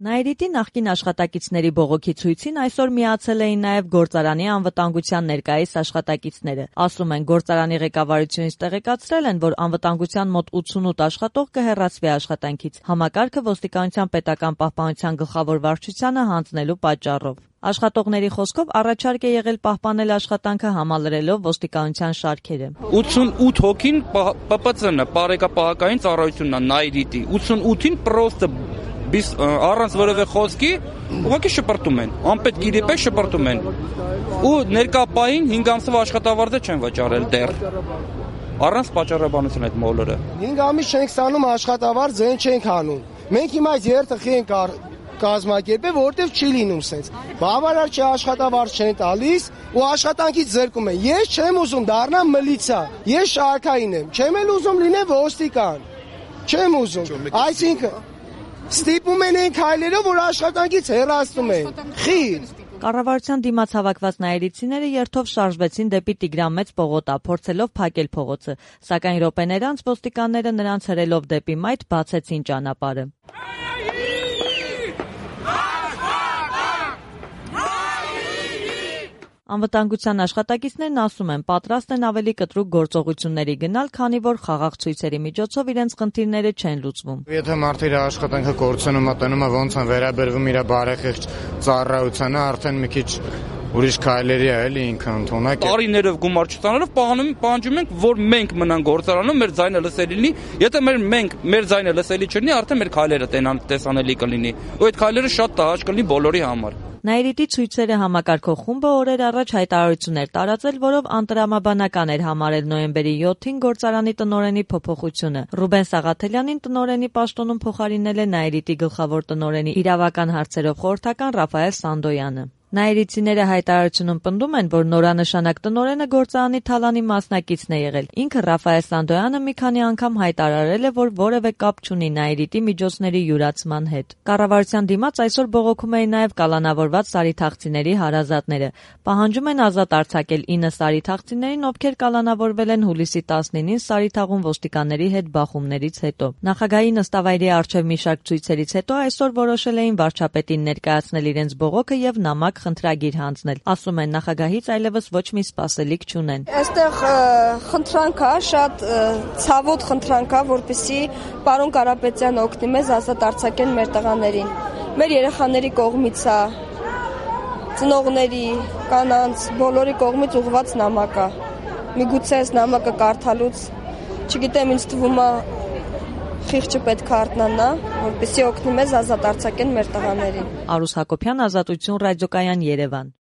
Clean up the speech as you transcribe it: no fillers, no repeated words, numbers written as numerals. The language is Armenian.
Նաիրիտի նախկին աշխատակիցների բողոքի ցույցին այսօր միացել էին նաև գործարանի անվտանգության ներկայիս աշխատակիցները։ Ասում են, գործարանի ղեկավարությունից տեղեկացրել են, որ անվտանգության մոտ 88 աշխատող կհեռացվի աշխատանքից, համակարգը ոստիկանության պետական պահպանության գլխավոր վարչությանը հանձնելու պատճառով։ Աշխատողների խոսքով առաջարկ է եղել պահպանել աշխատանքը համալրելով ոստիկանության շարքերը։ 88 հոգին ՊՊՑ-ն, Պարեկապահակային ծառայությունն է, Նաիրիտի, 88-ին պրոստը առանց որևէ խոսքի ուղղակի շպրտում են, անպետք իրի պես շպրտում են։ Ու ներկա պահին 5 ամսով աշխատավարձ չեն վճարել դեռ։ Առանց պատճառաբանության այդ մոլորը։ 5 ամիս չենք ստանում աշխատավարձ, ձեն չենք անում։ Մենք հիմա այս երթխի ենք կազմակերպել, որտեղ չի լինում սենց։ Բավարար չէ, աշխատավարձ չեն տալիս ու աշխատանքից զրկում են։ Ես չեմ ուզում դառնամ միլիցիա, ես շարքային եմ, չեմ էլ ուզում լինեմ ոստիկան։ Չեմ ուզում։ Այսինքն ստիպում են այն քայլերով, որ աշխատանքից հեռացնում են։ Խիլ։ Կառավարության դիմաց հավաքված նաիրիցիները երթով շարժվեցին դեպի Տիգրան Մեծ պողոտա, փորձելով փակել փողոցը, սակայն րոպեներ անց ոստիկանները նրանց հրելով դեպի մայթ բացեցին ճանապարհը։ Անվտանգության աշխատակիցներն ասում են, պատրաստ են ավելի կտրուկ գործողությունների գնալ, քանի որ խաղաղ ցույցերի միջոցով իրենց խնդիրները չեն լուծվում։ Եթե մարդը իր աշխատանքը կորցնում է, տնում է, ոնց են վերաբերվում իր բարեխիղճ ծառայությանը, արդեն մի քիչ ուրիշ քայլերի է էլի ինքը ընդունակ է։ Տարիներով գումար չստանալով պահանջում ենք, որ մենք մնանք գործարանում, մեր ձայնը լսելի լինի։ Եթե մեր ձայնը լսելի չլինի, արդեն մեր քայլերը տեսանելի կլինի։ Ու այդ քայլերը շատ տհաճ կլինի բոլորի համար։ Նաիրիտի ցույցերը համակարգող խումբը օրեր առաջ հայտարարություն էր տարածել, որով անտրամաբանական էր համարել նոյեմբերի 7-ին գործարանի տնօրենի փոփոխությունը։ Ռուբեն Սաղաթելյանին տնօրենի պաշտոնում փոխարինել է Նաիրիտի գլխավոր տնօրենի իրավական հարցերով խորհրդական Ռաֆայել Սանդոյանը։ Նաիրիցիները հայտարարությունում պնդում են, որ նորանշանակ տնօրենը գործարանի թալանի մասնակիցն է եղել։ Ինքը Ռաֆայել Սանդոյանը մի քանի անգամ հայտարարել է, որ որևէ կապ չունի Նաիրիտի միջոցների յուրացման հետ։ Կառավարության դիմաց այսօր բողոքում էին նաև կալանավորված սարիթաղցիների հարազատները։ Պահանջում են ազատ արձակել 9 սարիթաղցիներին, ովքեր կալանավորվել են հուլիսի 19-ին Սարիթաղում ոստիկանների հետ բախումներից հետո։ Նախագահի նստավայրի առջև մի շարք ցույցերից հետո այսօր որոշել էին վարչապետին ներկայացնել իրենց բողոքը եւ նամակ խնդրագիր հանձնել։ Ասում են, նախագահից այլևս ոչ մի սպասելիք չունեն։ Այստեղ խնդրանք է, շատ ցավոտ խնդրանք է, որպեսզի պարոն Կարապետյանը օգնի մեզ ազատ արձակեն մեր տղաներին։ Մեր երեխաների կողմից է, ծնողների, կանանց, բոլորի կողմից ուղղված նամակ է։ Միգուցե այս նամակը կարդալուց, չգիտեմ, ինձ թվում է խիղճը պետք է արթնանա, որպեսզի օգնի մեզ ազատ արձակեն մեր տղաներին։ Արուս Հակոբյան, Ազատություն ռադիոկայան, Երևան։